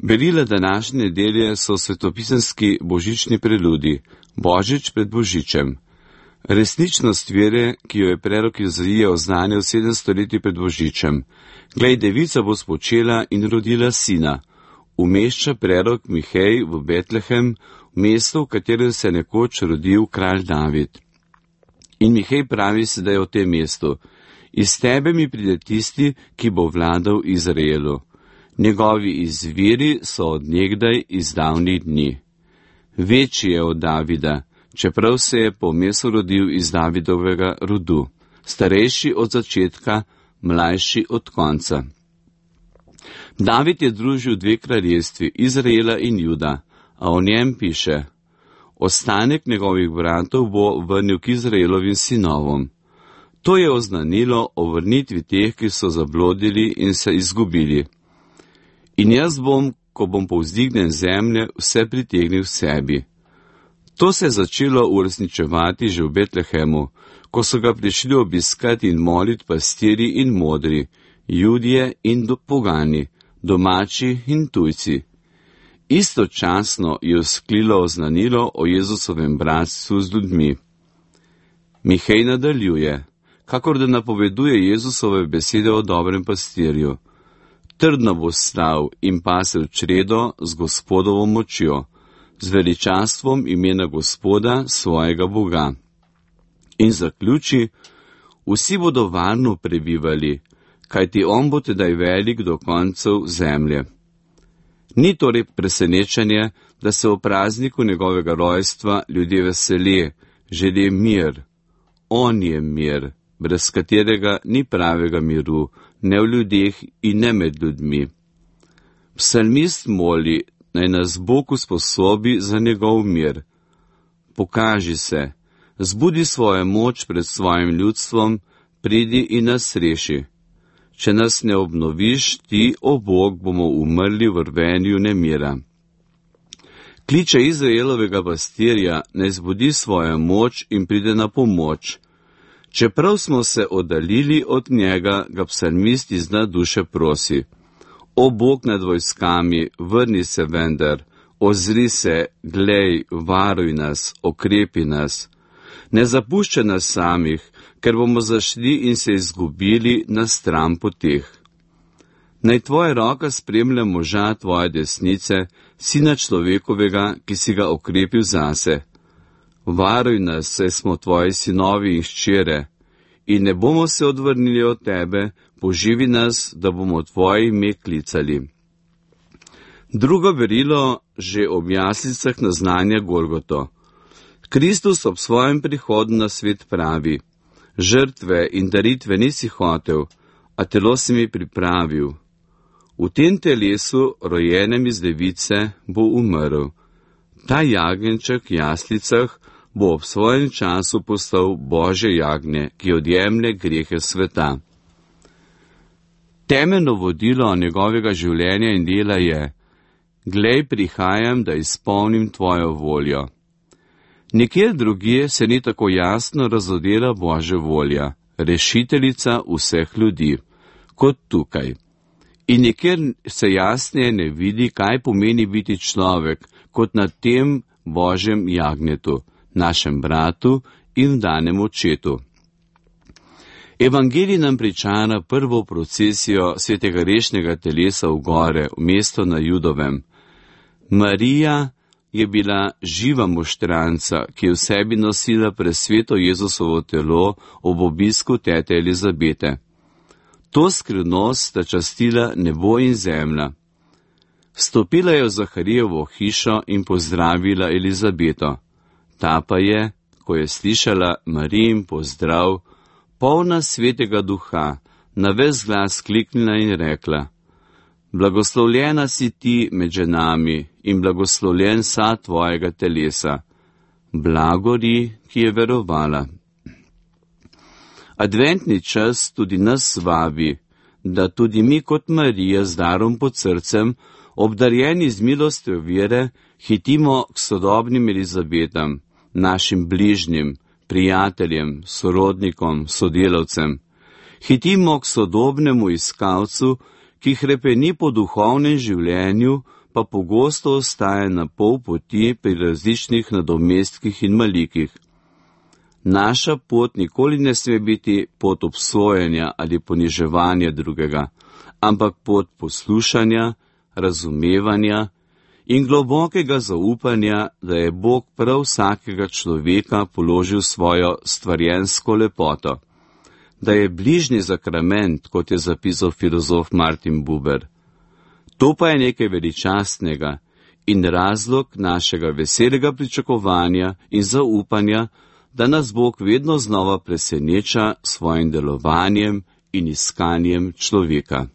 Berila današnje nedelje so svetopisanski božični preludi, Božič pred Božičem. Resničnost vere, ki jo je prerok Izaija oznanil 700 leti pred Božičem. Glej, devica bo spočela in rodila sina. Umešča prerok Mihej v Betlehem, mesto, v katerem se je nekoč rodil kralj David. In Mihej pravi sedaj o tem mestu: iz tebe mi pride tisti, ki bo vladal Izraelu. Njegovi izviri so od nekdaj iz davnih dni. Večji je od Davida, čeprav se je po mesu rodil iz Davidovega rodu, starejši od začetka, mlajši od konca. David je družil dve kraljestvi, Izraela in Juda, a o njem piše: ostanek njegovih bratov bo vrnil k Izraelovim sinovom. To je oznanilo o vrnitvi teh, ki so zablodili in se izgubili. In jaz bom, ko bom povzdignjen zemlje, vse pritegnil sebi. To se je začelo uresničevati že v Betlehemu, ko so ga prišli obiskati in moliti pastirji in modri, Judje in pogani, domači in tujci. Istočasno je vzklilo oznanilo o Jezusovem bratstvu z ljudmi. Mihej nadaljuje, kakor da napoveduje Jezusove besede o dobrem pastirju. Trdno bo stal in pasel čredo z Gospodovo močjo, z veličastvom imena Gospoda, svojega Boga. In zaključi: vsi bodo varno prebivali, kajti on bo tedaj velik do koncev zemlje. Ni torej presenečenje, da se v prazniku njegovega rojstva ljudje veselijo, želijo mir. On je mir, brez katerega ni pravega miru, ne v ljudeh in ne med ljudmi. Psalmist moli, naj nas Bog usposobi za njegov mir. Pokaži se, zbudi svojo moč pred svojim ljudstvom, pridi in nas reši. Če nas ne obnoviš, ti, o Bog, bomo umrli v rvenju nemira. Kliče Izraelovega pastirja, naj zbudi svojo moč in pride na pomoč. Čeprav smo se oddaljili od njega, ga psalmist iz dna duše prosi: o Bog nad vojskami, vrni se vendar, ozri se, glej, varuj nas, okrepi nas. Ne zapuščaj nas samih, ker bomo zašli in se izgubili na stran poteh. Naj tvoja roka spremlja moža tvoje desnice, sina človekovega, ki si ga okrepil zase. Varuj nas, saj smo tvoji sinovi in hčere, in ne bomo se odvrnili od tebe, poživi nas, da bomo tvoje ime klicali. Drugo berilo že ob jaslicah naznanja Golgoto. Kristus ob svojem prihodu na svet pravi: žrtve in daritve nisi hotel, a telo si mi pripravil. V tem telesu, rojenem iz device, bo umrl. Ta jagenjček v jaslicah bo ob svojem času postal Božje jagnje, ki odjemlje grehe sveta. Temeljno vodilo njegovega življenja in dela je: glej, prihajam, da izpolnim tvojo voljo. Nikjer drugje se ni tako jasno razodela Božja volja, rešiteljica vseh ljudi, kot tukaj. In nikjer se jasneje ne vidi, kaj pomeni biti človek, kot na tem Božjem jagnjetu, našem bratu in danem očetu. Evangelij nam pričara prvo procesijo svetega rešnega telesa v gore, v mesto na Judovem. Marija je bila živa moštranca, ki je v sebi nosila presveto Jezusovo telo ob obisku tete Elizabete. To skrivnost sta častila nebo in zemlja. Vstopila je v Zaharijevo hišo in pozdravila Elizabeto. Ta pa je, ko je slišala Marijin pozdrav, polna svetega duha, na ves glas kliknila in rekla: blagoslovljena si ti med ženami in blagoslovljen sad tvojega telesa. Blagori, ki je verovala. Adventni čas tudi nas vabi, da tudi mi kot Marija z darom pod srcem, obdarjeni z milostjo vere, hitimo k sodobnim Elizabetam, našim bližnjim, prijateljem, sorodnikom, sodelavcem. Hitimo k sodobnemu iskalcu, ki hrepeni po duhovnem življenju, pa pogosto ostaja na pol poti pri različnih nadomestkih in malikih. Naša pot nikoli ne sme biti pot obsojanja ali poniževanja drugega, ampak pot poslušanja, razumevanja in globokega zaupanja, da je Bog prav vsakega človeka položil svojo stvarjensko lepoto, da je bližnji zakrament, kot je zapisal filozof Martin Buber. To pa je nekaj veličastnega in razlog našega veselega pričakovanja in zaupanja, da nas Bog vedno znova preseneča s svojim delovanjem in iskanjem človeka.